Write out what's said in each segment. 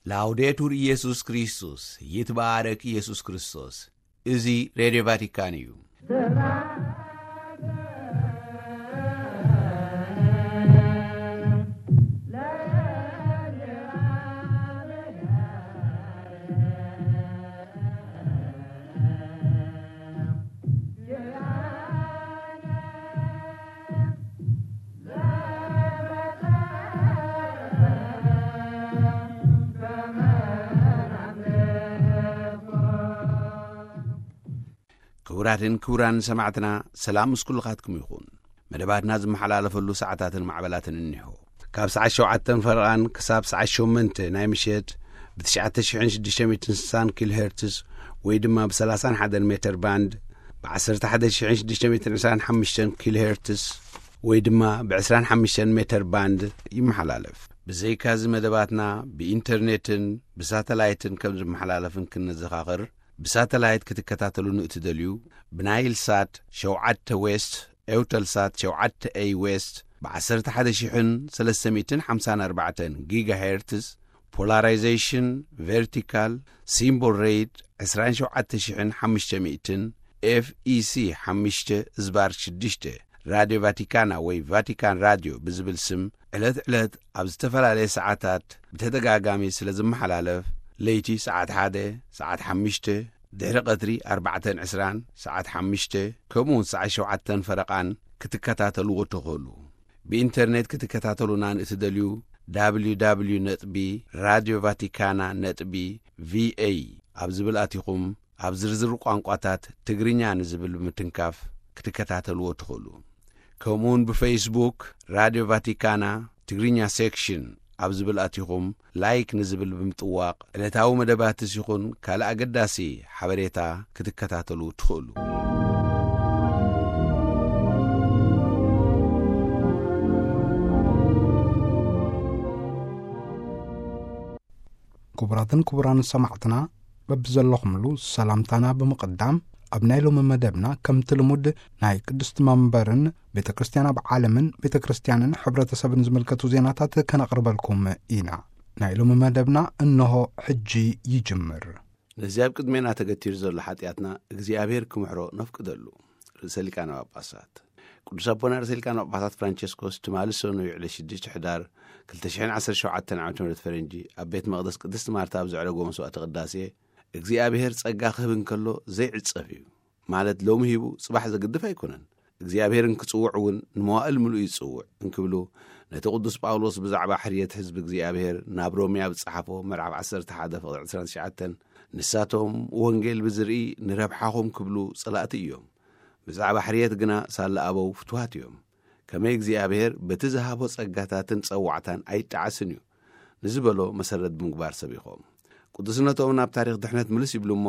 ላውዴቱር ኢየሱስ ክርስቶስ፣ ይትባረክ ኢየሱስ ክርስቶስ። እዚ ሬድዮ ቫቲካን እዩ። ክቡራትን ክቡራን ሰማዕትና፣ ሰላም ምስ ኩልኻትኩም ይኹን። መደባትና ዝመሓላለፈሉ ሰዓታትን ማዕበላትን እኒሆ። ካብ ሰዓት ሸውዓተን ፈረቓን ክሳብ ሰዓት ሸሞንተ ናይ ምሸት ብ ትሽዓተ ሽሕን ሽዱሽተ ሚእትን ስሳን ኪሎ ሄርትስ ወይ ድማ ብ ሰላሳን ሓደን ሜተር ባንድ፣ ብ ዓሰርተ ሓደ ሽሕን ሽዱሽተ ሚእትን ዕስራን ሓሙሽተን ኪሎ ሄርትስ ወይ ድማ ብ ዕስራን ሓሙሽተን ሜተር ባንድ ይመሓላለፍ። ብዘይካዚ መደባትና ብኢንተርኔትን ብሳተላይትን ከም ዝመሓላለፍን ክንዘኻኽር፣ ብሳተላይት ክትከታተሉ ንእትደልዩ፣ ብናይል ሳት ሸውዓተ ዌስት፣ ኤውተል ሳት ሸውዓተ ኤይ ዌስት፣ ብ ዓሰርተ ሓደ ሽሕን ሰለስተ ሚእትን ሓምሳን ኣርባዕተን ጊጋሄርትስ፣ ፖላራይዜሽን ቨርቲካል፣ ሲምቦል ሬት ዕስራን ሸውዓተ ሽሕን ሓሙሽተ ሚእትን፣ ኤፍ ኢ ሲ ሓሙሽተ ዝባር ሽዱሽተ፣ ራድዮ ቫቲካና ወይ ቫቲካን ራድዮ ብዝብል ስም ዕለት ዕለት ኣብ ዝተፈላለየ ሰዓታት ብተደጋጋሚ ስለ ዝመሓላለፍ፣ ለይቲ ሰዓት ሓደ፣ ሰዓት ሓሙሽተ፣ ድሕሪ ቀትሪ ኣርባዕተን ዕስራን፣ ሰዓት ሓሙሽተ፣ ከምኡውን ሰዓት ሸውዓተን ፈረቓን ክትከታተልዎ ትኽእሉ። ብኢንተርኔት ክትከታተሉና ንእትደልዩ፣ www ነጥቢ ራድዮ ቫቲካና ነጥቢ ቪኤ ኣብ ዝብል ኣቲኹም፣ ኣብ ዝርዝር ቋንቋታት ትግርኛ ንዝብል ብምትንካፍ ክትከታተልዎ ትኽእሉ። ከምኡውን ብፌስቡክ ራድዮ ቫቲካና ትግርኛ ሴክሽን ኣብ ዝብል ኣቲኹም፣ ላይክ ንዝብል ብምጥዋቕ፣ ዕለታዊ መደባትስ ይኹን ካልእ ኣገዳሲ ሓበሬታ ክትከታተሉ ትኽእሉ። ክቡራትን ክቡራን ሰማዕትና፣ በብዘለኹምሉ ሰላምታና ብምቕዳም፣ ኣብ ናይ ሎሚ መደብና ከምቲ ልሙድ ናይ ቅድስቲ መንበርን ቤተ ክርስቲያን ኣብ ዓለምን ቤተ ክርስቲያንን ሕብረተሰብን ዝምልከቱ ዜናታት ከነቕርበልኩም ኢና። ናይ ሎሚ መደብና እንሆ ሕጂ ይጅምር። ነዚ ኣብ ቅድሜና ተገቲሩ ዘሎ ሓጢኣትና እግዚኣብሔር ክምሕሮ ነፍቅደሉ። ርእሰ ሊቃነ ጳጳሳት ቅዱስ ኣቦና ርእሰ ሊቃነ ጳጳሳት ፍራንቸስኮስ ትማሊ ሰኑይ ዕለት ሽዱሽተ ሕዳር ክልተ ሽሕን ዓሰርተ ሸውዓተን ዓመተ ምህረት ፈረንጂ ኣብ ቤት መቕደስ ቅድስቲ ማርታ ኣብ ዘዕረጎ መስዋዕተ ቅዳሴ፣ እግዚኣብሔር ጸጋ ክህብ እንከሎ ዘይዕጸፍ እዩ። ማለት ሎሚ ሂቡ ጽባሕ ዘግድፍ ኣይኮነን። እግዚኣብሔር እንክጽውዕ እውን ንመዋእል ምሉእ ይጽውዕ እንክብሉ፣ ነቲ ቅዱስ ጳውሎስ ብዛዕባ ሕርየት ህዝቢ እግዚኣብሔር ናብ ሮሜ ኣብ ዝጸሓፎ ምዕራፍ ዓሰርተ ሓደ ፍቕዲ ዕስራን ትሽዓተን፣ ንሳቶም ወንጌል ብዝርኢ ንረብሓኹም ክብሉ ጸላእቲ እዮም። ብዛዕባ ሕርየት ግና ሳለ ኣበው ፍትዋት እዮም። ከመይ እግዚኣብሔር በቲ ዝሃቦ ጸጋታትን ጸዋዕታን ኣይጠዓስን እዩ። ንዝበሎ መሰረት ብምግባር ሰቢኾም። ቅዱስነቶም ናብ ታሪኽ ድሕነት ምልስ ይብሉ እሞ፣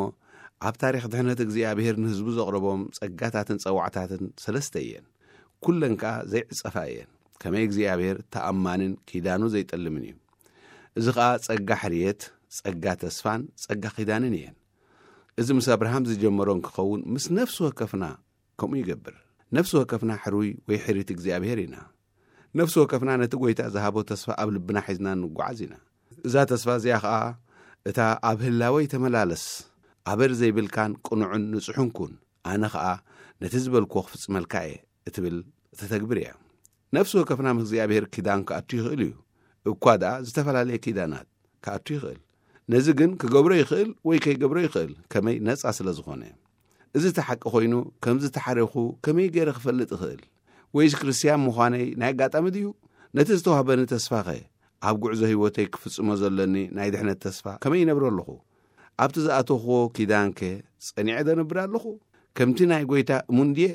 ኣብ ታሪኽ ድሕነት እግዚኣብሔር ንህዝቡ ዘቕረቦም ጸጋታትን ጸዋዕታትን ሰለስተ እየን። ኩለን ከኣ ዘይዕጸፋ እየን። ከመይ እግዚኣብሔር ተኣማንን ኪዳኑ ዘይጠልምን እዩ። እዚ ኸኣ ጸጋ ሕርየት፣ ጸጋ ተስፋን ጸጋ ኪዳንን እየን። እዚ ምስ ኣብርሃም ዝጀመሮ እንክኸውን፣ ምስ ነፍሲ ወከፍና ከምኡ ይገብር። ነፍሲ ወከፍና ሕሩይ ወይ ሕሪት እግዚኣብሔር ኢና። ነፍሲ ወከፍና ነቲ ጐይታ ዝሃቦ ተስፋ ኣብ ልብና ሒዝና ንጓዓዝ ኢና። እዛ ተስፋ እዚኣ ኸኣ እታ ኣብ ህላወይ ተመላለስ፣ ኣበር ዘይብልካን ቅኑዕን ንጹሕን ኩን፣ ኣነ ኸኣ ነቲ ዝበልክዎ ክፍጽመልካ እየ እትብል እተተግብር እያ። ነፍሲ ወከፍና ምስ እግዚኣብሔር ኪዳን ክኣቱ ይኽእል እዩ። እኳ ደኣ ዝተፈላለየ ኪዳናት ክኣቱ ይኽእል። ነዚ ግን ክገብሮ ይኽእል ወይ ከይገብሮ ይኽእል፣ ከመይ ነጻ ስለ ዝኾነ። እዚ እቲ ሓቂ ኮይኑ፣ ከም ዝተሓረኹ ከመይ ገይረ ክፈልጥ እኽእል? ወይስ ክርስትያን ምዃነይ ናይ ኣጋጣሚ ድዩ? ነቲ ዝተዋህበኒ ተስፋኸ፣ ኣብ ጉዕዞ ህይወተይ ክፍጽሞ ዘለኒ ናይ ድሕነት ተስፋ ከመይ ይነብሮ ኣለኹ? ኣብቲ ዝኣተኽዎ ኪዳንከ ጸኒዐ ደነብር ኣለኹ? ከምቲ ናይ ጐይታ እሙን ድየ?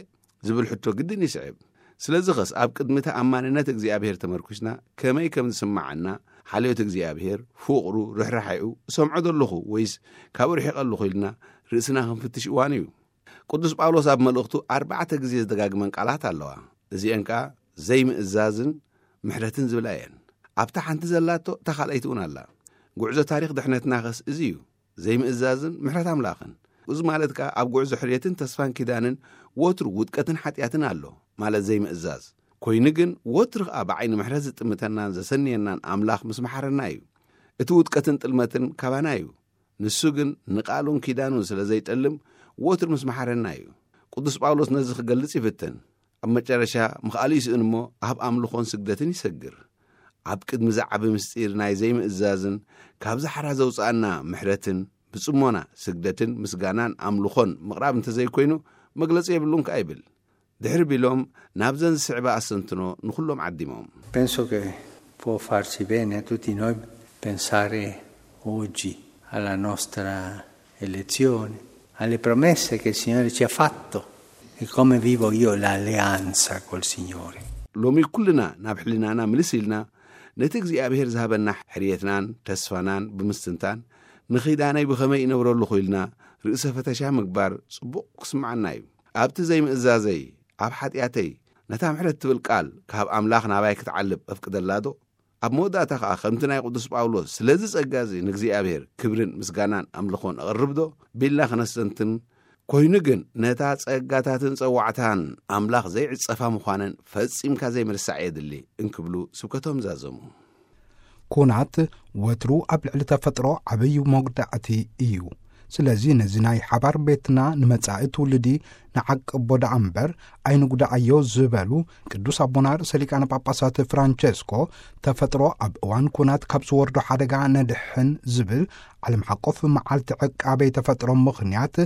ዝብል ሕቶ ግድን ይስዕብ። ስለዚ ኸስ ኣብ ቅድሚ ተኣማንነት እግዚኣብሔር ተመርኲስና ከመይ ከም ዝስምዓና፣ ሓልዮት እግዚኣብሔር፣ ፍቕሩ፣ ርሕራሒኡ እሰምዖ ዶ ኣለኹ ወይስ ካብኡ ርሒቐ ኣለኹ ኢልና ርእስና ክንፍትሽ እዋኑ እዩ። ቅዱስ ጳውሎስ ኣብ መልእኽቱ ኣርባዕተ ግዜ ዝደጋግመን ቃላት ኣለዋ። እዚአን ከኣ ዘይምእዛዝን ምሕረትን ዝብላ እየን። ኣብታ ሓንቲ ዘላቶ እታ ካልኣይቲ እውን ኣላ። ጉዕዞ ታሪኽ ድሕነትና ኸስ እዚ እዩ። ዘይምእዛዝን ምሕረት ኣምላኽን። እዚ ማለት ከኣ ኣብ ጉዕዞ ሕርየትን ተስፋን ኪዳንን ወትሩ ውድቀትን ሓጢኣትን ኣሎ፣ ማለት ዘይምእዛዝ። ኮይኑ ግን ወትሩ ከኣ ብዓይኒ ምሕረት ዝጥምተናን ዘሰንየናን ኣምላኽ ምስ መሓረና እዩ። እቲ ውድቀትን ጥልመትን ካባና እዩ። ንሱ ግን ንቓሉን ኪዳኑን ስለ ዘይጠልም፣ ወትሩ ምስ መሓረና እዩ። ቅዱስ ጳውሎስ ነዚ ክገልጽ ይፍትን። ኣብ መጨረሻ፣ ምኽኣሉ ይስእን እሞ፣ ኣብ ኣምልኾን ስግደትን ይሰግር። ኣብ ቅድሚ ዝዓቢ ምስጢር ናይ ዘይምእዛዝን፣ ካብ ዝሓራ ዘውጽኣና ምሕረትን፣ ብጽሞና ስግደትን ምስጋናን ኣምልኾን ምቕራብ እንተዘይኮይኑ፣ መግለጺ የብሉን ከኣ ይብል። ድሕሪ ቢሎም፣ ናብዘን ዝስዕባ ኣስተንትኖ ንኹሎም ዓዲሞም። Penso che può farci bene a tutti noi pensare oggi alla nostra elezione, alle promesse che il Signore ci ha fatto e come vivo io l'alleanza col Signore. ሎሚ ኩልና ናብ ሕልናና ምልስ ኢልና፣ ነቲ እግዚኣብሔር ዝሃበና ሕርየትናን ተስፋናን ብምስትንታን፣ ንኺዳነይ ብኸመይ ይነብረሉ ኢልና ርእሰ ፈተሻ ምግባር ጽቡቕ ክስምዓና እዩ። ኣብቲ ዘይምእዛዘይ፣ ኣብ ሓጢኣተይ፣ ነታ ምሕረት ትብል ቃል ካብ ኣምላኽ ናባይ ክትዓልብ እፍቅደላዶ? ኣብ መወዳእታ ኸኣ፣ ከምቲ ናይ ቅዱስ ጳውሎስ፣ ስለዚ ጸጋ እዚ ንእግዚኣብሔር ክብርን ምስጋናን ኣምልኾን እቕርብዶ? ቢልና ክነስተንትን፣ ኮይኑ ግን፣ ነታ ጸጋታትን ጸዋዕታን ኣምላኽ ዘይዕጸፋ ምዃነን ፈጺምካ ዘይምርሳዕ የድሊ እንክብሉ ስብከቶም ዛዘሙ። ኩናት ወትሩ ኣብ ልዕሊ ተፈጥሮ ዓብዪ መጉዳእቲ እዩ። ስለዚ ነዚ ናይ ሓባር ቤትና ንመጻኢ ትውልዲ ንዓቅቦ ደኣ እምበር ኣይንጉዳኣዮ ዝበሉ ቅዱስ ኣቦና ርእሰ ሊቃነ ጳጳሳት ፍራንቸስኮ፣ ተፈጥሮ ኣብ እዋን ኩናት ካብ ዝወርዶ ሓደጋ ነድሕን ዝብል ዓለም ሓቆፍ መዓልቲ ዕቃበይ ተፈጥሮ ምኽንያት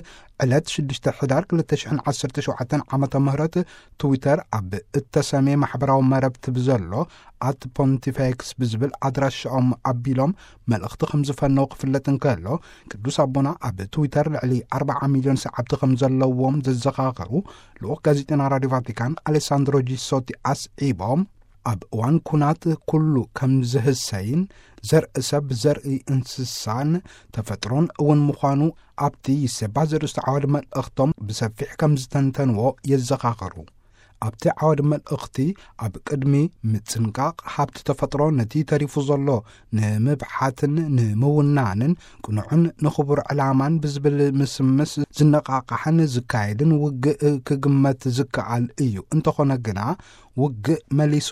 ዕለት ሽዱሽተ ሕዳር ክልተ ሽሕን ዓሰርተ ሸውዓተን ዓመተ ምህረት ትዊተር ኣብ እተሰምየ ማሕበራዊ መረብቲ ብዘሎ ኣት ፖንቲፌክስ ብዝብል ኣድራሻኦም ኣቢሎም መልእኽቲ ከም ዝፈነው ክፍለጥ እንከሎ፣ ቅዱስ ኣቦና ኣብ ትዊተር ልዕሊ ኣርባዓ ሚልዮን ሰዓብቲ ከም ዘለዎም ዘዘኻኸሩ ልኡኽ ጋዜጠና ራዲዮ ቫቲካን ኣሌሳንድሮ ጂሶቲ ኣስዒቦም፣ ኣብ እዋን ኩናት ኩሉ ከም ዝህሰይን ዘርኢ ሰብ ዘርኢ እንስሳን ተፈጥሮን እውን ምዃኑ ኣብቲ ይሴባ ዘርእስቱ ዓወድ መልእኽቶም ብሰፊሕ ከም ዝተንተንዎ የዘኻኸሩ። ኣብቲ ዓወድ መልእኽቲ ኣብ ቅድሚ ምጽንቃቕ ሃብቲ ተፈጥሮ ነቲ ተሪፉ ዘሎ ንምብሓትን ንምውናንን ቅኑዕን ንኽቡር ዕላማን ብዝብል ምስምስ ዝነቓቓሕን ዝካየድን ውግእ ክግመት ዝከኣል እዩ። እንተኾነ ግና ውግእ መሊሱ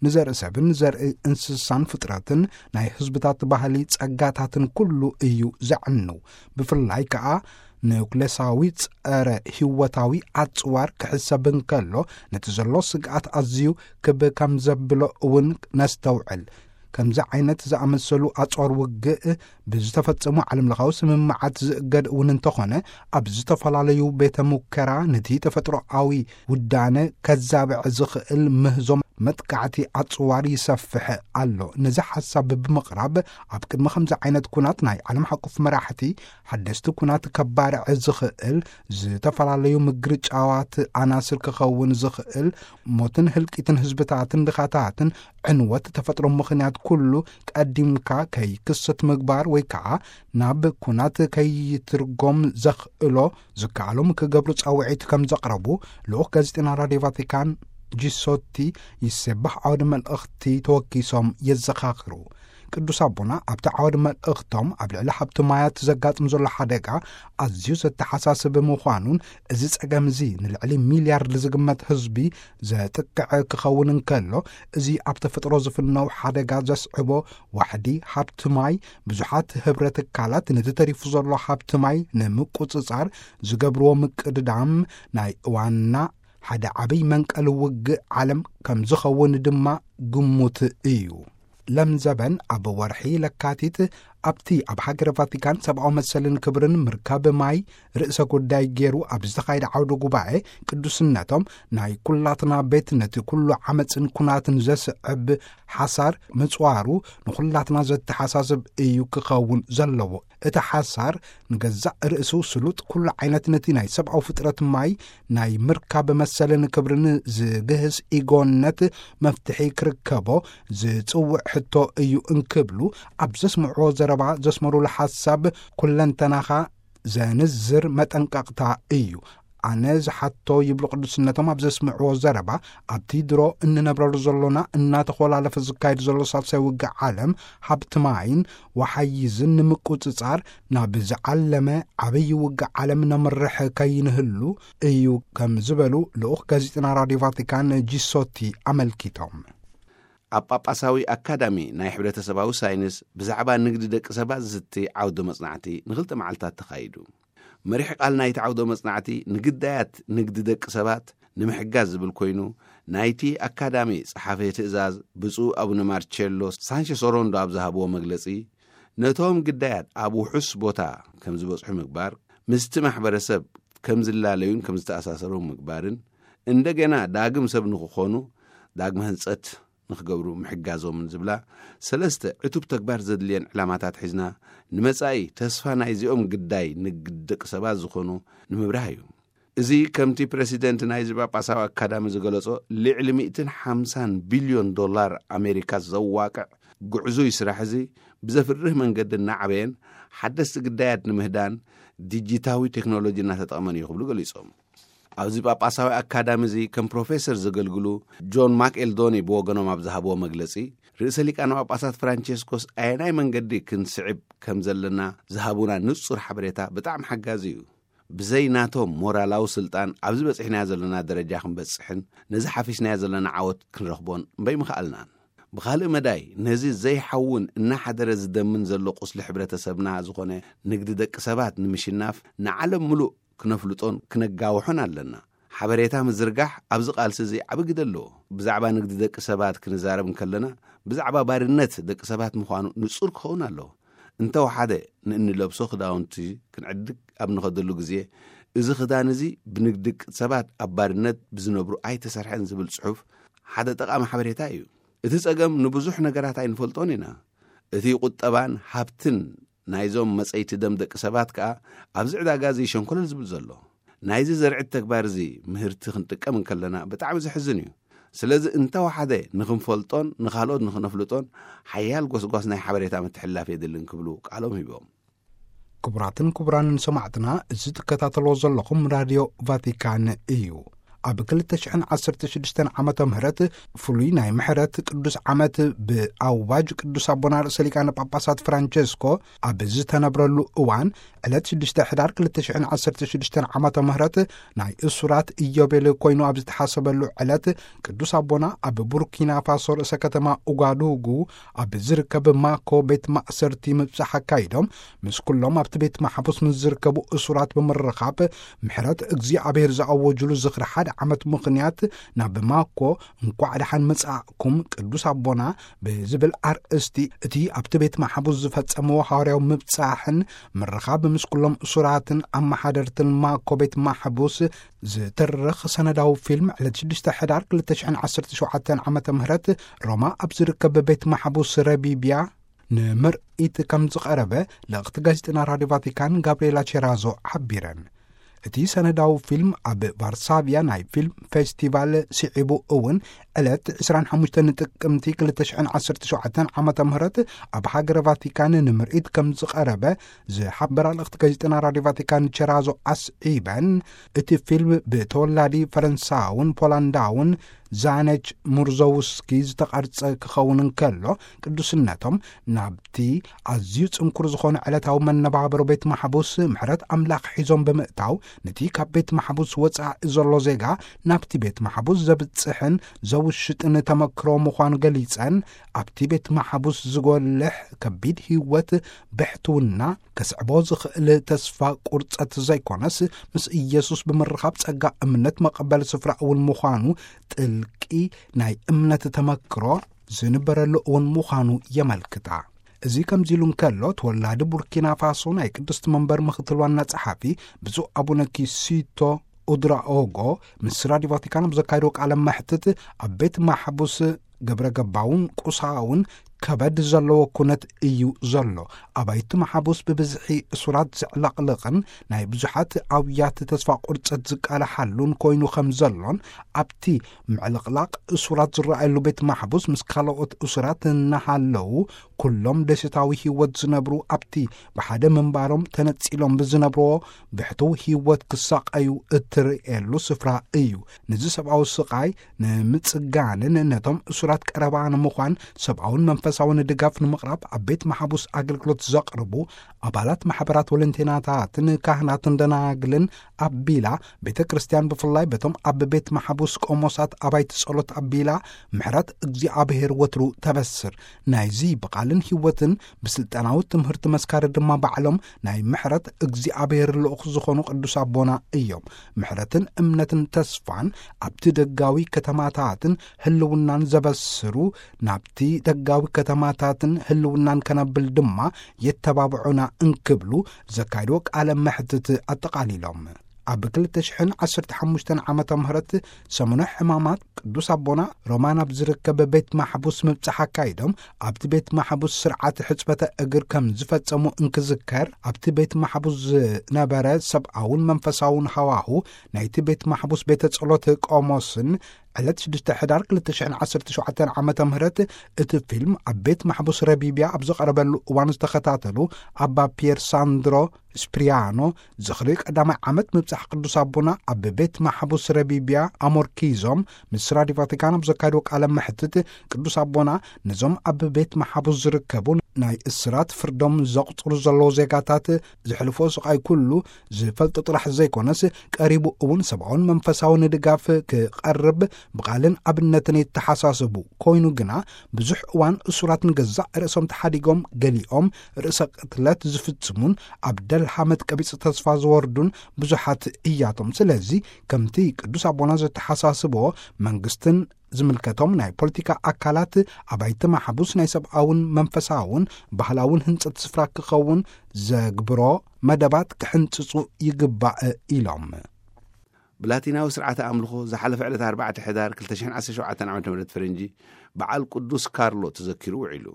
ንዘርኢ ሰብን ዘርኢ እንስሳን ፍጥረትን ናይ ህዝብታት ባህሊ ጸጋታትን ኩሉ እዩ ዘዕንው። ብፍላይ ከኣ ኑክሌሳዊ ጸረ ህይወታዊ ኣጽዋር ክሕሰብ እንከሎ ነቲ ዘሎ ስግኣት ኣዝዩ ክብ ከም ዘብሎ እውን ነስተውዕል። ከምዚ ዓይነት ዝኣመሰሉ ኣጽዋር ውግእ ብዝተፈጸሙ ዓለምለኻዊ ስምምዓት ዝእገድ እውን እንተኾነ፣ ኣብ ዝተፈላለዩ ቤተ ሙከራ ነቲ ተፈጥሮኣዊ ውዳነ ከዛብዕ ዝኽእል ምህዞ መጥቃዕቲ ኣጽዋር ይሰፍሕ ኣሎ። ነዚ ሓሳብ ብምቕራብ ኣብ ቅድሚ ከምዚ ዓይነት ኩናት ናይ ዓለም ሓቁፍ መራሕቲ ሓደስቲ ኩናት ከባርዕ ዝኽእል ዝተፈላለዩ ምግርጫዋት ኣናስር ክኸውን ዝኽእል ሞትን ህልቂትን ህዝብታትን ድኻታትን ዕንወት ተፈጥሮ ምኽንያት ኩሉ ቀዲምካ ከይክሰት ምግባር ወይ ከዓ ናብ ኩናት ከይትርጎም ዘኽእሎ ዝከኣሎም ክገብሩ ጻውዒት ከም ዘቕረቡ ልኡኽ ጋዜጠና ራድዮ ቫቲካን ጂሶቲ ይሴባህ ዓውዲ መልእኽቲ ተወኪሶም የዘኻኽሩ። ቅዱስ ኣቦና ኣብቲ ዓውዲ መልእኽቶም ኣብ ልዕሊ ሃብቲ ማያት ዘጋጥም ዘሎ ሓደጋ ኣዝዩ ዘተሓሳስብ ምዃኑን እዚ ጸገም እዚ ንልዕሊ ሚልያርድ ዝግመት ህዝቢ ዘጥቅዕ ክኸውን እንከሎ፣ እዚ ኣብ ተፈጥሮ ዝፍነው ሓደጋ ዘስዕቦ ዋሕዲ ሃብቲ ማይ ብዙሓት ህብረ ትካላት ነቲ ተሪፉ ዘሎ ሃብቲ ማይ ንምቁጽጻር ዝገብርዎ ምቅድዳም ናይ እዋንና ሓደ ዓብይ መንቀሊ ውግእ ዓለም ከም ዝኸውን ድማ ግሙት እዩ። ለምዘበን ኣብ ወርሒ ለካቲት ኣብቲ ኣብ ሃገረ ቫቲካን ሰብኣዊ መሰልን ክብርን ምርካብ ማይ ርእሰ ጉዳይ ገይሩ ኣብ ዝተኻየደ ዓውደ ጉባኤ ቅዱስነቶም ናይ ኩላትና ቤት ነቲ ኩሉ ዓመፅን ኩናትን ዘስዕብ ሓሳር ምፅዋሩ ንኹላትና ዘተሓሳስብ እዩ ክኸውን ዘለዎ። እቲ ሓሳር ንገዛእ ርእሱ ስሉጥ ኩሉ ዓይነት ነቲ ናይ ሰብኣዊ ፍጥረት ማይ ናይ ምርካብ መሰልን ክብርን ዝግህስ ኢጎነት መፍትሒ ክርከቦ ዝጽውዕ ሕቶ እዩ እንክብሉ ኣብ ዘስምዕዎ ዘረባ ዘስመሩሉ ሓሳብ ኩለንተናኻ ዘንዝር መጠንቀቕታ እዩ። ኣነ ዝሓቶ ይብሉ ቅዱስነቶም ኣብ ዘስምዕዎ ዘረባ ኣብቲ ድሮ እንነብረሉ ዘሎና እናተኾላለፈ ዝካየድ ዘሎ ሳልሳይ ውግእ ዓለም ሃብቲ ማይን ወሓይዝን ንምቁጽጻር ናብ ዝዓለመ ዓብዪ ውግእ ዓለም ነምርሕ ከይንህሉ እዩ ከም ዝበሉ ልኡኽ ጋዜጠና ራድዮ ቫቲካን ጂሶቲ ኣመልኪቶም። ኣብ ጳጳሳዊ ኣካዳሚ ናይ ሕብረተሰባዊ ሳይንስ ብዛዕባ ንግዲ ደቂ ሰባት ዝዝቲ ዓውደ መጽናዕቲ ንኽልተ መዓልታት ተኻይዱ። መሪሕ ቃል ናይቲ ዓውደ መጽናዕቲ ንግዳያት ንግዲ ደቂ ሰባት ንምሕጋዝ ዝብል ኮይኑ፣ ናይቲ ኣካዳሚ ጸሓፊ ትእዛዝ ብፁዕ ኣቡነ ማርቸሎ ሳንቸስ ኦሮንዶ ኣብ ዝሃብዎ መግለጺ፣ ነቶም ግዳያት ኣብ ውሑስ ቦታ ከም ዝበጽሑ ምግባር፣ ምስቲ ማሕበረሰብ ከም ዝላለዩን ከም ዝተኣሳሰሩ ምግባርን፣ እንደገና ዳግም ሰብ ንክኾኑ ዳግመ ህንጸት ንክገብሩ ምሕጋዞምን ዝብላ ሰለስተ ዕቱብ ተግባር ዘድልየን ዕላማታት ሒዝና፣ ንመጻኢ ተስፋ ናይዚኦም ግዳይ ንግድ ደቂ ሰባት ዝኾኑ ንምብራህ እዩ። እዚ ከምቲ ፕረሲደንት ናይዚ ጳጳሳዊ ኣካዳሚ ዝገለጾ፣ ልዕሊ ሚእትን ሓምሳን ቢልዮን ዶላር ኣሜሪካ ዘዋቅዕ ጉዕዙይ ስራሕ እዚ ብዘፍርህ መንገዲ እናዓበየን ሓደስቲ ግዳያት ንምህዳን ዲጂታዊ ቴክኖሎጂ እናተጠቕመን እዩ ክብሉ ገሊጾም። ኣብዚ ጳጳሳዊ ኣካዳሚ እዚ ከም ፕሮፌሰር ዘገልግሉ ጆን ማክ ኤልዶኒ ብወገኖም ኣብ ዝሃብዎ መግለጺ፣ ርእሰ ሊቃነ ጳጳሳት ፍራንቸስኮስ ኣየናይ መንገዲ ክንስዕብ ከም ዘለና ዝሃቡና ንጹር ሓበሬታ ብጣዕሚ ሓጋዚ እዩ። ብዘይ ናቶም ሞራላዊ ስልጣን ኣብዚ በጺሕናዮ ዘለና ደረጃ ክንበጽሕን ነዚ ሓፊስናዮ ዘለና ዓወት ክንረኽቦን እምበይ ምኽኣልናን። ብኻልእ መዳይ፣ ነዚ ዘይሓውን እናሓደረ ዝደምን ዘሎ ቁስሊ ሕብረተሰብና ዝኾነ ንግዲ ደቂ ሰባት ንምሽናፍ ንዓለም ምሉእ ክነፍልጦን ክነጋውሖን ኣለና። ሓበሬታ ምዝርጋሕ ኣብዚ ቃልሲ እዚ ዓቢ ግደ ኣለዎ። ብዛዕባ ንግዲ ደቂ ሰባት ክንዛረብ እንከለና፣ ብዛዕባ ባርነት ደቂ ሰባት ምዃኑ ንጹር ክኸውን ኣለዎ። እንተወሓደ ንእንለብሶ ክዳውንቲ ክንዕድግ ኣብ ንኸደሉ ግዜ፣ እዚ ክዳን እዚ ብንግዲ ሰባት ኣብ ባርነት ብዝነብሩ ኣይተሰርሐን ዝብል ጽሑፍ ሓደ ጠቓሚ ሓበሬታ እዩ። እቲ ጸገም ንብዙሕ ነገራት ኣይንፈልጦን ኢና። እቲ ቁጠባን ሃብትን ናይዞም መጸይቲ ደም ደቂ ሰባት ከኣ ኣብዚ ዕዳጋ እዚ ሸንኮለል ዝብል ዘሎ። ናይዚ ዘርዕት ተግባር እዚ ምህርቲ ክንጥቀም እንከለና ብጣዕሚ ዘሕዝን እዩ። ስለዚ እንተወሓደ ንኽንፈልጦን ንኻልኦት ንኽነፍልጦን ሓያል ጎስጓስ ናይ ሓበሬታ ምትሕልላፍ የድልን ክብሉ ቃሎም ሂቦም። ክቡራትን ክቡራንን ሰማዕትና፣ እዚ ትከታተልዎ ዘለኹም ራድዮ ቫቲካን እዩ። ኣብ ክልተ ሽሕን ዓሰርተ ሽዱሽተን ዓመተ ምህረት ፍሉይ ናይ ምሕረት ቅዱስ ዓመት ብኣዋጅ ቅዱስ ኣቦና ርእሰ ሊቃነ ጳጳሳት ፍራንቸስኮ ኣብ ዝተነብረሉ እዋን፣ ዕለት ሽዱሽተ ሕዳር ክልተ ሽሕን ዓሰርተ ሽዱሽተን ዓመተ ምህረት ናይ እሱራት ኢዮቤል ኮይኑ ኣብ ዝተሓሰበሉ ዕለት፣ ቅዱስ ኣቦና ኣብ ቡርኪና ፋሶ ርእሰ ከተማ ኡጋዱጉ ኣብ ዝርከብ ማኮ ቤት ማእሰርቲ ምብጻሕ ኣካይዶም፣ ምስ ኩሎም ኣብቲ ቤት ማሕቡስ ምስ ዝርከቡ እሱራት ብምርኻብ፣ ምሕረት እግዚኣብሔር ዝኣወጅሉ ዝኽሪ ሓደ ዓመት ምኽንያት ናብ ማኮ እንኳዕ ደሓን መጻእኩም ቅዱስ ኣቦና ብዝብል ኣርእስቲ እቲ ኣብቲ ቤት ማሕቡስ ዝፈጸምዎ ሃዋርያዊ ምብጻሕን ምርኻብ ምስ ኩሎም እሱራትን ኣመሓደርትን ማኮ ቤት ማሕቡስ ዝትርኽ ሰነዳዊ ፊልም ዕለት ሽዱሽተ ሕዳር ክልተ ሽሕን ዓሰርተ ሸውዓተን ዓመተ ምህረት ሮማ ኣብ ዝርከብ ቤት ማሕቡስ ረቢብያ ንምርኢት ከም ዝቐረበ ልእኽቲ ጋዜጠና ራድዮ ቫቲካን ጋብርኤላ ቼራዞ ሓቢረን። እቲ ሰነዳዊ ፊልም ኣብ ቫርሳቪያ ናይ ፊልም ፌስቲቫል ስዒቡ እውን ዕለት ዕስራን ሓሙሽተን ጥቅምቲ ክልተ ሽሕን ዓሰርተ ሸውዓተን ዓመተ ምህረት ኣብ ሃገረ ቫቲካን ንምርኢት ከም ዝቐረበ ዝሓበራ ልእኽቲ ጋዜጠና ራድዮ ቫቲካን ቸራዞ ኣስዒበን፣ እቲ ፊልም ብተወላዲ ፈረንሳውን ፖላንዳውን ዛነች ሙርዞውስኪ ዝተቐርጸ ክኸውን እንከሎ፣ ቅዱስነቶም ናብቲ ኣዝዩ ጽንኩር ዝኾነ ዕለታዊ መነባብሮ ቤት ማሕቡስ ምሕረት ኣምላኽ ሒዞም ብምእታው፣ ነቲ ካብ ቤት ማሕቡስ ወጻኢ ዘሎ ዜጋ ናብቲ ቤት ማሕቡስ ዘብጽሕን ዘውሽጥን ተመክሮ ምዃኑ ገሊጸን፣ ኣብቲ ቤት ማሕቡስ ዝጎልሕ ከቢድ ህይወት ብሕትውና ከስዕቦ ዝኽእል ተስፋ ቁርጸት ዘይኮነስ፣ ምስ ኢየሱስ ብምርኻብ ጸጋ እምነት መቐበል ስፍራ እውን ምዃኑ ጥልቂ ናይ እምነት ተመክሮ ዝንበረሉ እውን ምዃኑ የመልክታ። እዚ ከምዚ ኢሉ እንከሎ፣ ተወላዲ ቡርኪና ፋሶ ናይ ቅድስቲ መንበር ምኽትል ዋና ጸሓፊ ብፁዕ ኣቡነ ኪሲቶ ኡድራኦጎ ምስ ራድዮ ቫቲካን ኣብ ዘካየዶ ቃለ መሕትት፣ ኣብ ቤት ማሕቡስ ግብረ ገባውን ቁሳውን ከበድ ዘለዎ ኩነት እዩ ዘሎ። ኣባይቲ ማሕቡስ ብብዝሒ እሱራት ዘዕለቕልቕን ናይ ብዙሓት ኣውያት ተስፋ ቁርጸት ዝቃልሓሉን ኮይኑ ከም ዘሎን፣ ኣብቲ ምዕልቕላቕ እሱራት ዝረኣየሉ ቤት ማሕቡስ ምስ ካልኦት እሱራት እናሃለዉ ኩሎም ደስታዊ ህይወት ዝነብሩ ኣብቲ ብሓደ ምንባሮም ተነጺሎም ብዝነብርዎ ብሕትው ህይወት ክሳቐዩ እትርእየሉ ስፍራ እዩ። ነዚ ሰብኣዊ ስቓይ ንምጽጋንን ነቶም እሱራት ቀረባ ንምዃን ሰብኣውን መንፈሳውን ድጋፍ ንምቕራብ ኣብ ቤት ማሕቡስ ኣገልግሎት ዘቕርቡ ኣባላት ማሕበራት ወለንቴናታትን ካህናትን ደናግልን ኣቢላ፣ ቤተ ክርስቲያን ብፍላይ በቶም ኣብ ቤት ማሕቡስ ቆሞሳት ኣባይቲ ጸሎት ኣቢላ ምሕረት እግዚኣብሔር ወትሩ ተበስር። ናይዚ ብቓልን ህይወትን ብስልጣናዊ ትምህርቲ መስካሪ ድማ ባዕሎም ናይ ምሕረት እግዚኣብሔር ልኡኽ ዝኾኑ ቅዱስ ኣቦና እዮም። ምሕረትን እምነትን ተስፋን ኣብቲ ደጋዊ ከተማታትን ህልውናን ዘበስሩ፣ ናብቲ ደጋዊ ከተማታትን ህልውናን ከነብል ድማ የተባብዑና እንክብሉ ዘካይድዎ ቃለ መሕትት ኣጠቓሊሎም። ኣብ ክልተ ሽሕን ዓሰርተ ሓሙሽተን ዓመተ ምህረት ሰሙነ ሕማማት ቅዱስ ኣቦና ሮማን ኣብ ዝርከብ ቤት ማሕቡስ ምብጻሕ ኣካይዶም፣ ኣብቲ ቤት ማሕቡስ ስርዓት ሕጽበተ እግር ከም ዝፈጸሙ እንክዝከር፣ ኣብቲ ቤት ማሕቡስ ዝነበረ ሰብኣውን መንፈሳውን ሃዋሁ ናይቲ ቤት ማሕቡስ ቤተ ጸሎት ቆሞስን ዕለት ሽዱሽተ ሕዳር ክልተ ሽሕን ዓሰርተ ሸውዓተን ዓመተ ምህረት እቲ ፊልም ኣብ ቤት ማሕቡስ ረቢብያ ኣብ ዝቐረበሉ እዋን ዝተኸታተሉ ኣባ ፒየር ሳንድሮ ስፕሪያኖ፣ ዝኽሪ ቀዳማይ ዓመት ምብጻሕ ቅዱስ ኣቦና ኣብ ቤት ማሕቡስ ረቢብያ ኣሞርኪዞም ምስ ራዲዮ ቫቲካን ኣብ ዘካየድዎ ቃለ መሕትት፣ ቅዱስ ኣቦና ነዞም ኣብ ቤት ማሕቡስ ዝርከቡ ናይ እስራት ፍርዶም ዘቑጽሩ ዘለዉ ዜጋታት ዝሕልፎ ስቓይ ኩሉ ዝፈልጦ ጥራሕ ዘይኮነስ፣ ቀሪቡ እውን ሰብኣውን መንፈሳውን ድጋፍ ክቐርብ ብቓልን ኣብነትን የተሓሳስቡ። ኮይኑ ግና፣ ብዙሕ እዋን እሱራት ንገዛእ ርእሶም ተሓዲጎም፣ ገሊኦም ርእሰ ቅትለት ዝፍጽሙን ኣብ ደልሃመት ቀቢጸ ተስፋ ዝወርዱን ብዙሓት እያቶም። ስለዚ፣ ከምቲ ቅዱስ ኣቦና ዘተሓሳስቦ፣ መንግስትን ዝምልከቶም ናይ ፖለቲካ ኣካላት፣ ኣባይቲ ማሕቡስ ናይ ሰብኣውን መንፈሳውን ባህላውን ህንጸት ስፍራ ክኸውን ዘግብሮ መደባት ክሕንጽጹ ይግባእ ኢሎም። ብላቲናዊ ስርዓተ ኣምልኾ ዝሓለፈ ዕለት ኣርባዕተ ሕዳር ክልተ ሽሕን ዓሰርተ ሸውዓተን ዓመተ ምህረት ፈረንጂ በዓል ቅዱስ ካርሎ ተዘኪሩ ውዒሉ።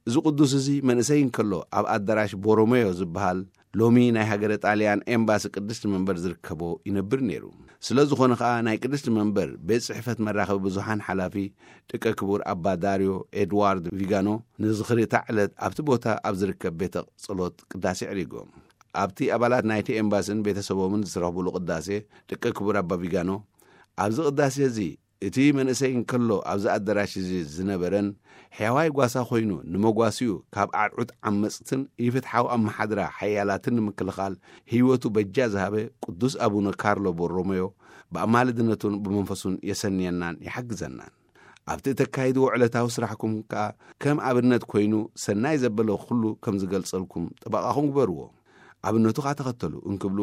እዚ ቅዱስ እዚ መንእሰይ እንከሎ ኣብ ኣዳራሽ ቦሮሜዮ ዝበሃል ሎሚ ናይ ሃገረ ጣልያን ኤምባሲ ቅድስቲ መንበር ዝርከቦ ይነብር ነይሩ። ስለ ዝኾነ ኸኣ ናይ ቅድስቲ መንበር ቤት ጽሕፈት መራኸቢ ብዙሃን ሓላፊ ደቀ ክቡር ኣባ ዳርዮ ኤድዋርድ ቪጋኖ ንዝኽሪ እታ ዕለት ኣብቲ ቦታ ኣብ ዝርከብ ቤተ ጸሎት ቅዳሴ ኣዕሪጎም። ኣብቲ ኣባላት ናይቲ ኤምባስን ቤተሰቦምን ዝረኽብሉ ቅዳሴ ደቀ ክቡር ኣባ ቪጋኖ፣ ኣብዚ ቅዳሴ እዚ እቲ መንእሰይ እንከሎ ኣብዚ ኣዳራሽ እዚ ዝነበረን ሕያዋይ ጓሳ ኮይኑ ንመጓሲኡ ካብ ኣርዑት ዓመጽትን ኢፍትሓዊ ኣመሓድራ ሓያላትን ንምክልኻል ህይወቱ በጃ ዝሃበ ቅዱስ ኣቡነ ካርሎ ቦሮሜዮ ብኣማልድነቱን ብመንፈሱን የሰንየናን ይሓግዘናን። ኣብቲ እተካይድዎ ዕለታዊ ስራሕኩም ከኣ ከም ኣብነት ኮይኑ ሰናይ ዘበለ ኩሉ ከም ዝገልጸልኩም ጠበቓኹም ግበርዎ። ኣብነቱ ኸኣ ተኸተሉ እንክብሉ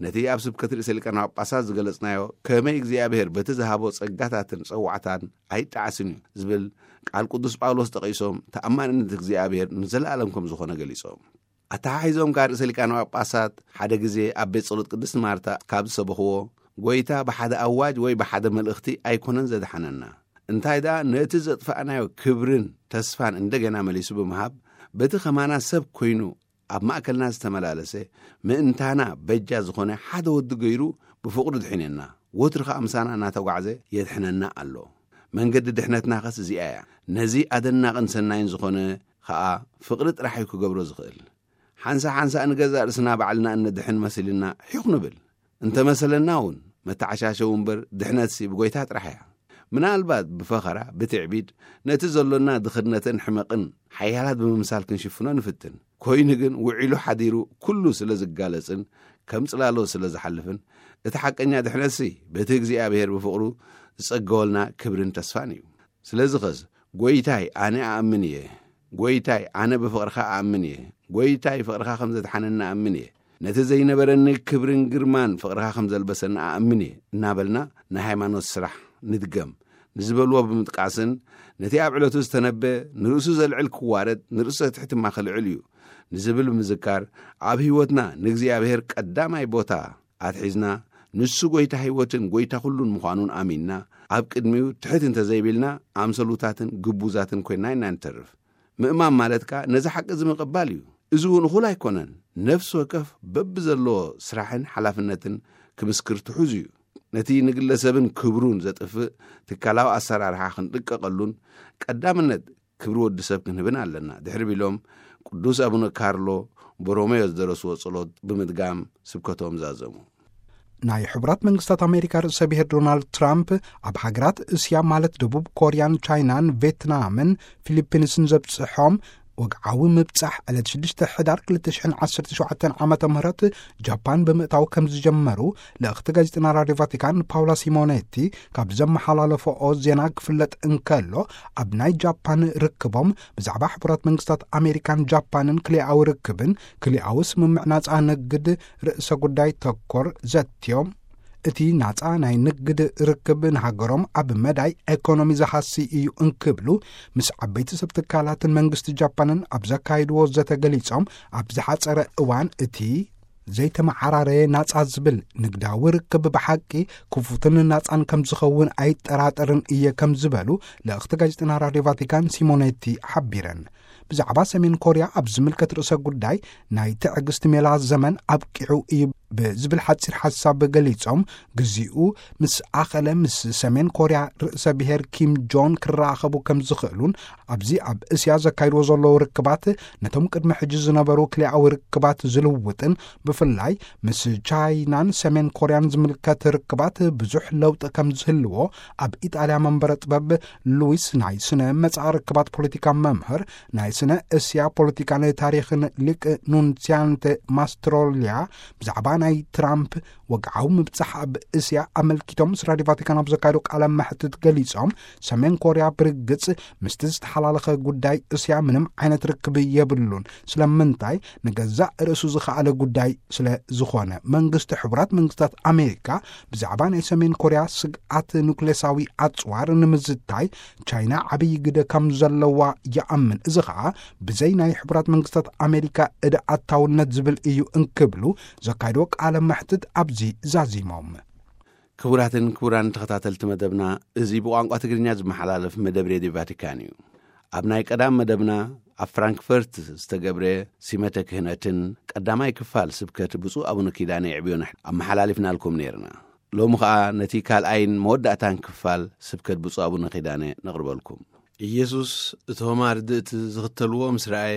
ነቲ ኣብ ስብከት ርእሰ ሊቃነ ጳጳሳት ዝገለጽናዮ ከመይ እግዚኣብሔር በቲ ዝሃቦ ጸጋታትን ጸዋዕታን ኣይጠዓስን እዩ ዝብል ቃል ቅዱስ ጳውሎስ ጠቒሶም ተኣማንነት እግዚኣብሔር ንዘለኣለም ከም ዝኾነ ገሊጾም። ኣተሓሒዞም ከኣ ርእሰ ሊቃነ ጳጳሳት ሓደ ግዜ ኣብ ቤት ጸሎት ቅድስቲ ማርታ ካብ ዝሰበኽዎ፣ ጎይታ ብሓደ ኣዋጅ ወይ ብሓደ መልእኽቲ ኣይኮነን ዘድሓነና፣ እንታይ ደኣ ነቲ ዘጥፋእናዮ ክብርን ተስፋን እንደገና መሊሱ ብምሃብ፣ በቲ ኸማና ሰብ ኮይኑ ኣብ ማእከልና ዝተመላለሰ፣ ምእንታና በጃ ዝኾነ ሓደ ወዲ ገይሩ ብፍቕሩ ድሒነና፣ ወትሩ ኸኣ ምሳና እናተጓዕዘ የድሕነና ኣሎ። መንገዲ ድሕነትናኸስ እዚኣ እያ። ነዚ ኣደናቕን ሰናይን ዝኾነ ኸኣ ፍቕሪ ጥራሕ እዩ ክገብሮ ዝኽእል። ሓንሳ ሓንሳ ንገዛእ ርእስና ባዕልና እነድሕን መሲልና ሒኹ ንብል። እንተመሰለና እውን መተዓሻሸዊ እምበር ድሕነትሲ ብጎይታ ጥራሕ እያ። ምናልባት ብፈኸራ፣ ብትዕቢድ፣ ነቲ ዘሎና ድኽነትን ሕመቕን ሓያላት ብምምሳል ክንሽፍኖ ንፍትን። ኮይኑ ግን ውዒሉ ሓዲሩ ኩሉ ስለ ዝጋለጽን ከም ጽላሎት ስለ ዝሓልፍን፣ እቲ ሓቀኛ ድሕነትሲ በቲ እግዚኣብሔር ብፍቕሩ ዝጸገወልና ክብርን ተስፋን እዩ። ስለዚ ኸስ፣ "ጎይታይ፣ ኣነ ኣኣምን እየ። ጎይታይ፣ ኣነ ብፍቕርኻ ኣኣምን እየ። ጎይታይ፣ ፍቕርኻ ከም ዘድሓነኒ ኣኣምን እየ። ነቲ ዘይነበረኒ ክብርን ግርማን ፍቕርኻ ከም ዘልበሰኒ ኣኣምን እየ" እናበልና ናይ ሃይማኖት ስራሕ ንድገም ንዝበልዎ ብምጥቃስን፣ ነቲ ኣብ ዕለቱ ዝተነበ ንርእሱ ዘልዕል ክዋረድ፣ ንርእሱ ዘትሕት ድማ ክልዕል እዩ ንዝብል ብምዝካር፣ ኣብ ህይወትና ንእግዚኣብሔር ቀዳማይ ቦታ ኣትሒዝና፣ ንሱ ጎይታ ህይወትን ጎይታ ኩሉን ምዃኑን ኣሚንና፣ ኣብ ቅድሚኡ ትሕት እንተዘይቢልና፣ ኣምሰሉታትን ግቡዛትን ኮይንና ኢና ንተርፍ። ምእማን ማለት ከኣ ነዚ ሓቂ እዚ ምቕባል እዩ። እዚ እውን እኹል ኣይኮነን። ነፍሲ ወከፍ በብዘለዎ ስራሕን ሓላፍነትን ክምስክር ትሑዝ እዩ። ነቲ ንግለሰብን ክብሩን ዘጥፍእ ትካላዊ ኣሰራርሓ ክንጥቀቐሉን ቀዳምነት ክብሪ ወዲ ሰብ ክንህብን ኣለና ድሕሪ ቢሎም ቅዱስ ኣቡነ ካርሎ ቦሮሜዮ ዝደረስዎ ጸሎት ብምድጋም ስብከቶም ዛዘሙ። ናይ ሕቡራት መንግስታት ኣሜሪካ ርእሰ ብሔር ዶናልድ ትራምፕ ኣብ ሃገራት እስያ ማለት ደቡብ ኮርያን ቻይናን ቬትናምን ፊሊፒንስን ዘብጽሖም ወግዓዊ ምብጻሕ ዕለት ሽዱሽተ ሕዳር ክልተ ሽሕን ዓሰርተ ሸውዓተን ዓመተ ምህረት ጃፓን ብምእታው ከም ዝጀመሩ ልእኽቲ ጋዜጠና ራድዮ ቫቲካን ፓውላ ሲሞኔቲ ካብ ዘመሓላለፈኦ ዜና ክፍለጥ እንከሎ፣ ኣብ ናይ ጃፓን ርክቦም ብዛዕባ ሕቡራት መንግስታት ኣሜሪካን ጃፓንን ክልኣዊ ርክብን ክልኣዊ ስምምዕ ናጻ ንግድ ርእሰ ጉዳይ ተኮር ዘትዮም፣ እቲ ናጻ ናይ ንግድ ርክብ ንሃገሮም ኣብ መዳይ ኤኮኖሚ ዝሃሲ እዩ እንክብሉ ምስ ዓበይቲ ሰብ ትካላትን መንግስቲ ጃፓንን ኣብ ዘካይድዎ ዘተ ገሊጾም፣ ኣብ ዝሓጸረ እዋን እቲ ዘይተመዓራረየ ናጻ ዝብል ንግዳዊ ርክብ ብሓቂ ክፉትን ናጻን ከም ዝኸውን ኣይጠራጠርን እየ ከም ዝበሉ ልእኽቲ ጋዜጠና ራድዮ ቫቲካን ሲሞኔቲ ሓቢረን። ብዛዕባ ሰሜን ኮርያ ኣብ ዝምልከት ርእሰ ጉዳይ ናይ ትዕግስቲ ሜላ ዘመን ኣብቂዑ እዩ ብዝብል ሓጺር ሓሳብ ገሊጾም፣ ግዚኡ ምስ ኣኸለ ምስ ሰሜን ኮርያ ርእሰ ብሔር ኪም ጆን ክራኸቡ ከም ዝኽእሉን ኣብዚ ኣብ እስያ ዘካይድዎ ዘለዉ ርክባት ነቶም ቅድሚ ሕጂ ዝነበሩ ክልኣዊ ርክባት ዝልውጥን ብፍላይ ምስ ቻይናን ሰሜን ኮርያን ዝምልከት ርክባት ብዙሕ ለውጢ ከም ዝህልዎ ኣብ ኢጣልያ መንበረ ጥበብ ሉዊስ ናይ ስነ መጻኢ ርክባት ፖለቲካ መምህር ናይ ስነ እስያ ፖለቲካን ታሪኽን ሊቅ ኑንሲያንተ ማስትሮሊያ ብዛዕባ ናይ ትራምፕ ወግዓዊ ምብጻሕ ኣብ እስያ ኣመልኪቶም ምስ ራድዮ ቫቲካን ኣብ ዘካየዱ ቃለ መሕትት ገሊጾም፣ ሰሜን ኮርያ ብርግጽ ምስቲ ዝተሓላለኸ ጉዳይ እስያ ምንም ዓይነት ርክብ የብሉን፣ ስለምንታይ ንገዛእ ርእሱ ዝኸኣለ ጉዳይ ስለ ዝኾነ። መንግስቲ ሕቡራት መንግስታት ኣሜሪካ ብዛዕባ ናይ ሰሜን ኮርያ ስግኣት ኑክሌሳዊ ኣጽዋር ንምዝታይ ቻይና ዓብዪ ግደ ከም ዘለዋ ይኣምን። እዚ ኸኣ ብዘይ ናይ ሕቡራት መንግስታት ኣሜሪካ እደ ኣታውነት ዝብል እዩ እንክብሉ ዘካየድዎ ቃለ መሕትት ኣብዚ ዛዚሞም። ክቡራትን ክቡራን ተኸታተልቲ መደብና፣ እዚ ብቋንቋ ትግርኛ ዝመሓላለፍ መደብ ሬድዮ ቫቲካን እዩ። ኣብ ናይ ቀዳም መደብና ኣብ ፍራንክፈርት ዝተገብረ ሲመተ ክህነትን ቀዳማይ ክፋል ስብከት ብፁዕ ኣቡነ ኪዳነ የዕብዮን ኣመሓላሊፍናልኩም ነይርና። ሎሚ ኸኣ ነቲ ካልኣይን መወዳእታን ክፋል ስብከት ብፁዕ ኣቡነ ኪዳነ ነቕርበልኩም። ኢየሱስ እቶም ኣርድእቲ ዝኽተልዎ ምስ ረኣየ፣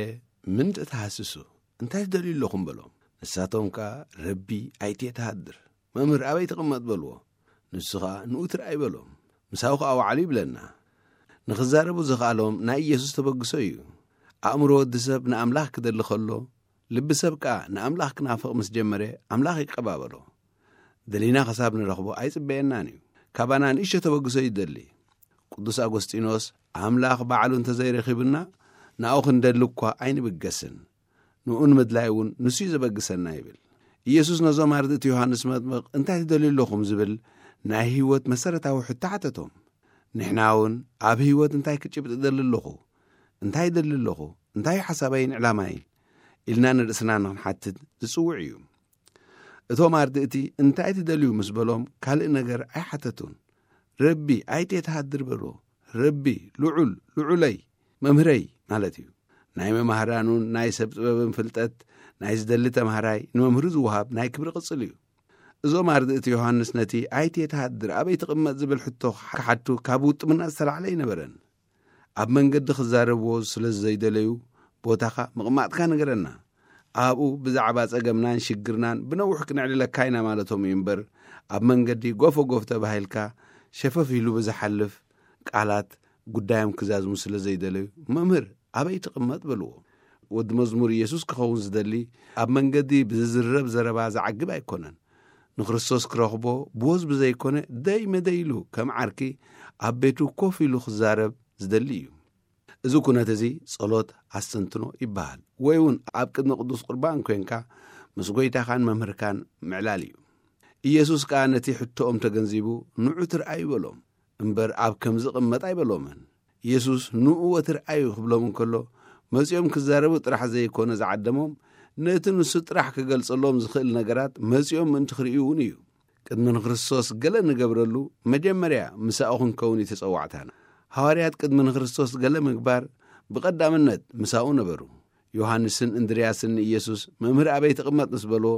"ምንድእ ተሃስሱ? እንታይ ትደልዩ ኣለኹም?" በሎም። ንሳቶም ከኣ፣ "ረቢ፣ ኣይትየ ትሃድር፣ መምህር፣ ኣበይ ትቕመጥ?" በልዎ። ንሱ ኸኣ፣ "ንኡ ትርኣይ" በሎም። ምሳኡ ኸኣ ወዓሉ ይብለና። ንኽዛረቡ ዘኽኣሎም ናይ ኢየሱስ ተበግሶ እዩ። ኣእምሮ ወዲ ሰብ ንኣምላኽ ክደሊ ኸሎ፣ ልቢ ሰብ ከኣ ንኣምላኽ ክናፍቕ ምስ ጀመረ፣ ኣምላኽ ይቀባበሎ። ደሊና ኸሳብ ንረኽቦ ኣይጽበየናን እዩ። ካባና ንእሽቶ ተበግሶ ይደሊ። ቅዱስ ኣጎስጢኖስ፣ "ኣምላኽ ባዕሉ እንተ ዘይረኺቡና፣ ንኣኡ ክንደሊ እኳ ኣይንብገስን። ንኡ ንምድላይ እውን ንሱ እዩ ዘበግሰና" ይብል። ኢየሱስ ነዞም ኣርድእቲ ዮሃንስ መጥምቕ፣ "እንታይ ትደልዩ ኣለኹም?" ዝብል ናይ ህይወት መሰረታዊ ሕቶ ሓተቶም። ንሕና እውን ኣብ ህይወት እንታይ ክጭብጥ እደሊ ኣለኹ? እንታይ እደሊ ኣለኹ? እንታይ እዩ ሓሳበይን ዕላማይን? ኢልና ንርእስና ንኽንሓትት ዝጽውዕ እዩ። እቶም ኣርድእቲ፣ "እንታይ ትደልዩ?" ምስ በሎም፣ ካልእ ነገር ኣይሓተቱን። "ረቢ፣ ኣይትየ ትሃድር" በልዎ። ረቢ፣ ልዑል፣ ልዑለይ፣ መምህረይ ማለት እዩ። ናይ መማህራኑን ናይ ሰብ ጥበብን ፍልጠት ናይ ዝደሊ ተማሃራይ ንመምህሩ ዝወሃብ ናይ ክብሪ ቅጽል እዩ። እዞም ኣርድእቲ ዮሃንስ ነቲ "ኣይትየ ትሃድር፣ ኣበይ ትቕመጥ?" ዝብል ሕቶ ክሓቱ ካብ ውጥምና ዝተላዕለ ኣይነበረን። ኣብ መንገዲ ክዛረብዎ ስለ ዘይደለዩ፣ "ቦታኻ ምቕማጥካ ንገረና፣ ኣብኡ ብዛዕባ ጸገምናን ሽግርናን ብነዊሕ ክነዕልለካ ኢና" ማለቶም እዩ እምበር፣ ኣብ መንገዲ ጎፈ ጎፍ ተባሂልካ ሸፈፍ ኢሉ ብዝሓልፍ ቃላት ጉዳዮም ክዛዝሙ ስለ ዘይደለዩ፣ "መምህር፣ ኣበይ ትቕመጥ?" በልዎ። ወዲ መዝሙር ኢየሱስ ክኸውን ዝደሊ ኣብ መንገዲ ብዝዝረብ ዘረባ ዝዓግብ ኣይኮነን። ንክርስቶስ ክረኽቦ ብወዝ ብዘይኮነ ደይ መደይ ኢሉ ከም ዓርኪ ኣብ ቤቱ ኮፍ ኢሉ ክዛረብ ዝደሊ እዩ። እዚ ኩነት እዚ ጸሎት ኣስተንትኖ ይበሃል። ወይ እውን ኣብ ቅድሚ ቅዱስ ቁርባን ኮንካ ምስ ጎይታኻን መምህርካን ምዕላል እዩ። ኢየሱስ ከኣ ነቲ ሕቶኦም ተገንዚቡ፣ "ንዑ ትርኣዩ" በሎም። እምበር ኣብ ከም ዝቕመጥ ኣይበሎምን። ኢየሱስ "ንዑ ወትርኣዩ" ክብሎም እንከሎ፣ መጺኦም ክዛረቡ ጥራሕ ዘይኮነ ዝዓደሞም፣ ነቲ ንሱ ጥራሕ ክገልጸሎም ዝኽእል ነገራት መጺኦም ምእንቲ ክርእዩ እውን እዩ። ቅድሚ ንክርስቶስ ገለ ንገብረሉ፣ መጀመርያ ምሳኡ ክንከውን እዩ ተጸዋዕታና። ሃዋርያት ቅድሚ ንክርስቶስ ገለ ምግባር፣ ብቐዳምነት ምሳኡ ነበሩ። ዮሃንስን እንድርያስን ንኢየሱስ፣ "መምህር፣ ኣበይ ትቕመጥ?" ምስ በልዎ፣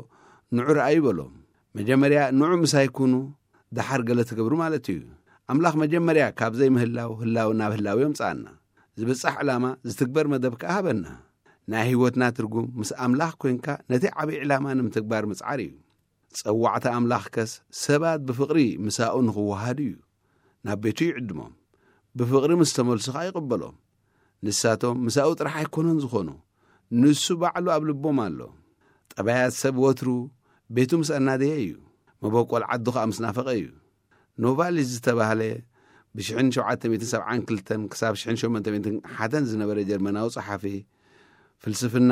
"ንዑ ረኣዩ" በሎም። መጀመርያ ንዑ ምሳይ ኩኑ፣ ደሓር ገለ ትገብሩ ማለት እዩ። ኣምላኽ መጀመርያ ካብ ዘይምህላው ህላው ናብ ህላው የምጽኣና። ዝብጻሕ ዕላማ ዝትግበር መደብ ከኣ ሃበና። ናይ ህይወትና ትርጉም ምስ ኣምላኽ ኮንካ ነቲ ዓብዪ ዕላማ ንምትግባር ምጽዓር እዩ። ጸዋዕታ ኣምላኽ ከስ ሰባት ብፍቕሪ ምሳኡ ንኽወሃዱ እዩ። ናብ ቤቱ ይዕድሞም። ብፍቕሪ ምስ ተመልሱ ኸኣ ይቕበሎም። ንሳቶም ምሳኡ ጥራሕ ኣይኮነን ዝኾኑ፣ ንሱ ባዕሉ ኣብ ልቦም ኣሎ። ጠባያት ሰብ ወትሩ ቤቱ ምስ ኣናደየ እዩ። መበቆል ዓዱ ኸኣ ምስ ናፈቐ እዩ። ኖቫሊስ ዝተባህለ ብ ሸውዓተ ሚእትን ሰብዓን ክልተን ክሳብ ሸውዓተ ሚእትን ሓደን ዝነበረ ጀርመናዊ ጸሓፊ፣ ፍልስፍና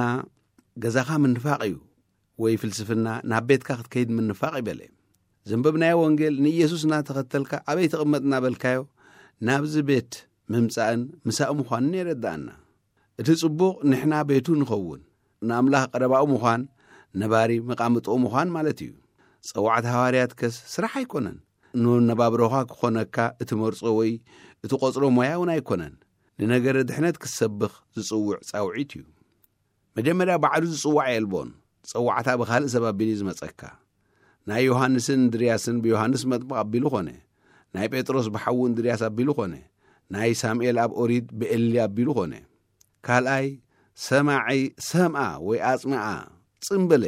ገዛኻ ምንፋቕ እዩ፣ ወይ ፍልስፍና ናብ ቤትካ ክትከይድ ምንፋቕ ይበለ። ዘንበብናዮ ወንጌል ንኢየሱስ እናተኸተልካ ኣበይ ትቕመጥ እናበልካዮ ናብዚ ቤት ምምጻእን ምሳእ ምዃንን የረድኣና። እቲ ጽቡቕ ንሕና ቤቱ ንኸውን፣ ንኣምላኽ ቀረባኡ ምዃን፣ ነባሪ መቓምጥኡ ምዃን ማለት እዩ። ጸዋዕታ ሃዋርያት ከስ ስራሕ ኣይኮነን። ንነባብሮኻ ክኾነካ እትመርጾ ወይ እትቖጽሮ ሞያ እውን ኣይኮነን። ንነገረ ድሕነት ክትሰብኽ ዝጽውዕ ጻውዒት እዩ። መጀመርያ ባዕሉ ዝጽዋዕ የልቦን። ጸዋዕታ ብኻልእ ሰብ ኣቢሉ እዩ ዝመጸካ። ናይ ዮሃንስን እንድርያስን ብዮሃንስ መጥምቕ ኣቢሉ ኾነ። ናይ ጴጥሮስ ብሓዉ እንድርያስ ኣቢሉ ኾነ። ናይ ሳሙኤል ኣብ ኦሪት ብኤሊ ኣቢሉ ኾነ። ካልኣይ፣ ሰማዒ ሰምኣ ወይ ኣጽምኣ፣ ጽን በለ።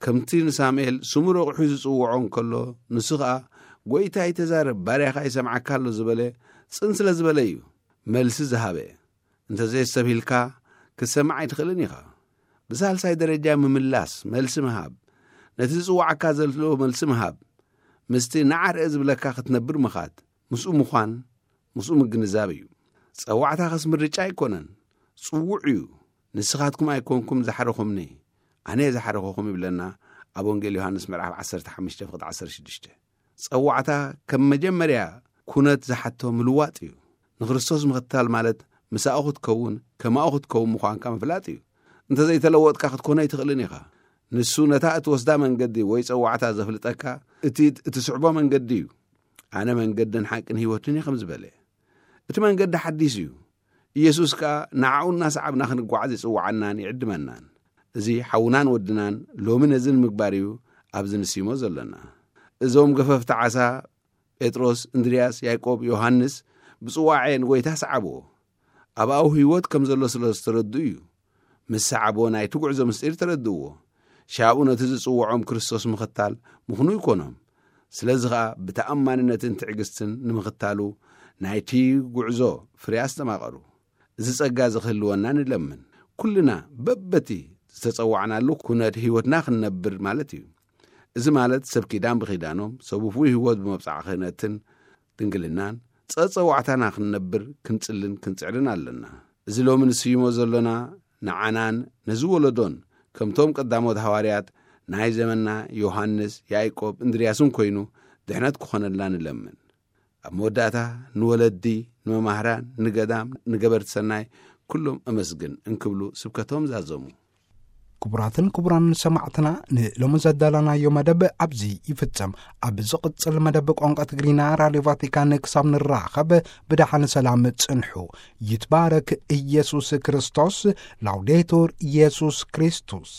ከምቲ ንሳሙኤል ስሙ ረቑሑ ዝጽውዖ እንከሎ፣ ንሱ ኸኣ፣ "ጐይታይ ተዛረብ፣ ባርያኻ ይሰምዓካ ኣሎ" ዝበለ፣ ጽን ስለ ዝበለ እዩ መልሲ ዝሃበ። እንተ ዘየስተብሂልካ፣ ክትሰምዕ ኣይትኽእልን ኢኻ። ብሳልሳይ ደረጃ ምምላስ፣ መልሲ ምሃብ። ነቲ ዝጽውዓካ ዘሎ መልሲ ምሃብ። ምስቲ ንዓ ርአ ዝብለካ ክትነብር ምኻድ፣ ምስኡ ምዃን፣ ምስኡ ምግንዛብ እዩ። ጸዋዕታ ኸስ ምርጫ ኣይኮነን፣ ጽዉዕ እዩ። "ንስኻትኩም ኣይኮንኩም ዝሓረኹምኒ፣ ኣነ እየ ዝሓረኹኹም" ይብለና ኣብ ወንጌል ዮሃንስ ምዕራፍ ዓሰርተ ሓሙሽተ ፍቕዲ ዓሰርተ ሽዱሽተ። ጸዋዕታ ከም መጀመርያ ኩነት ዝሓቶ ምልዋጥ እዩ። ንክርስቶስ ምኽታል ማለት ምሳኡ ክትከውን፣ ከማኡ ክትከውን ምዃንካ ምፍላጥ እዩ። እንተ ዘይተለወጥካ ክትኮኖ ኣይትኽእልን ኢኻ። ንሱ ነታ እትወስዳ መንገዲ ወይ ጸዋዕታ ዘፍልጠካ እቲ እትስዕቦ መንገዲ እዩ። "ኣነ መንገድን ሓቅን ህይወትን እየ" ከም ዝበለ። እቲ መንገዲ ሓዲስ እዩ። ኢየሱስ ከኣ ንዓኡ እናሰዓብና ክንጓዓዝ ይጽውዓናን ይዕድመናን። እዚ ሓውናን ወድናን ሎሚ ነዚ ንምግባር እዩ ኣብዚ ንስይሞ ዘለና። እዞም ገፈፍቲ ዓሳ ጴጥሮስ፣ እንድርያስ፣ ያዕቆብ፣ ዮሃንስ ብጽዋዔ ንጐይታ ሰዓብዎ። ኣብኡ ህይወት ከም ዘሎ ስለ ዝተረድኡ እዩ። ምስ ሰዓብዎ ናይቲ ጉዕዞ ምስጢር ተረድእዎ። ሻብኡ ነቲ ዝጽውዖም ክርስቶስ ምኽታል ምኽኑ ይኮኖም። ስለዚ ኸኣ ብተኣማንነትን ትዕግስትን ንምኽታሉ ናይቲ ጉዕዞ ፍሬ ኣስተማቐሩ። እዚ ጸጋ እዚ ክህልወና ንለምን። ኩልና በበቲ ዝተጸዋዕናሉ ኩነት ህይወትና ክንነብር ማለት እዩ። እዚ ማለት ሰብ ኪዳን ብኺዳኖም፣ ሰብ ውፉይ ህይወት ብመብጽዓ ክህነትን ድንግልናን ጸጸዋዕታና ክንነብር ክንጽልን ክንጽዕርን ኣለና። እዚ ሎሚ ንስይሞ ዘሎና ንዓናን ነዚ ወለዶን ከምቶም ቀዳሞት ሃዋርያት ናይ ዘመንና ዮሃንስ፣ ያዕቆብ፣ እንድርያስን ኮይኑ ድሕነት ክኾነልና ንለምን። ኣብ መወዳእታ ንወለዲ፣ ንመማህራን፣ ንገዳም፣ ንገበርቲ ሰናይ ኩሎም እመስግን እንክብሉ ስብከቶም ዛዘሙ። ክቡራትን ክቡራን ሰማዕትና፣ ንሎሚ ዘዳለናዮ መደብ ኣብዚ ይፍጸም። ኣብ ዝቕጽል መደብ ቋንቋ ትግርኛ ራድዮ ቫቲካን ክሳብ ንራኸብ ብደሓን ሰላም ጽንሑ። ይትባረክ ኢየሱስ ክርስቶስ። ላውዴቱር ኢየሱስ ክርስቶስ።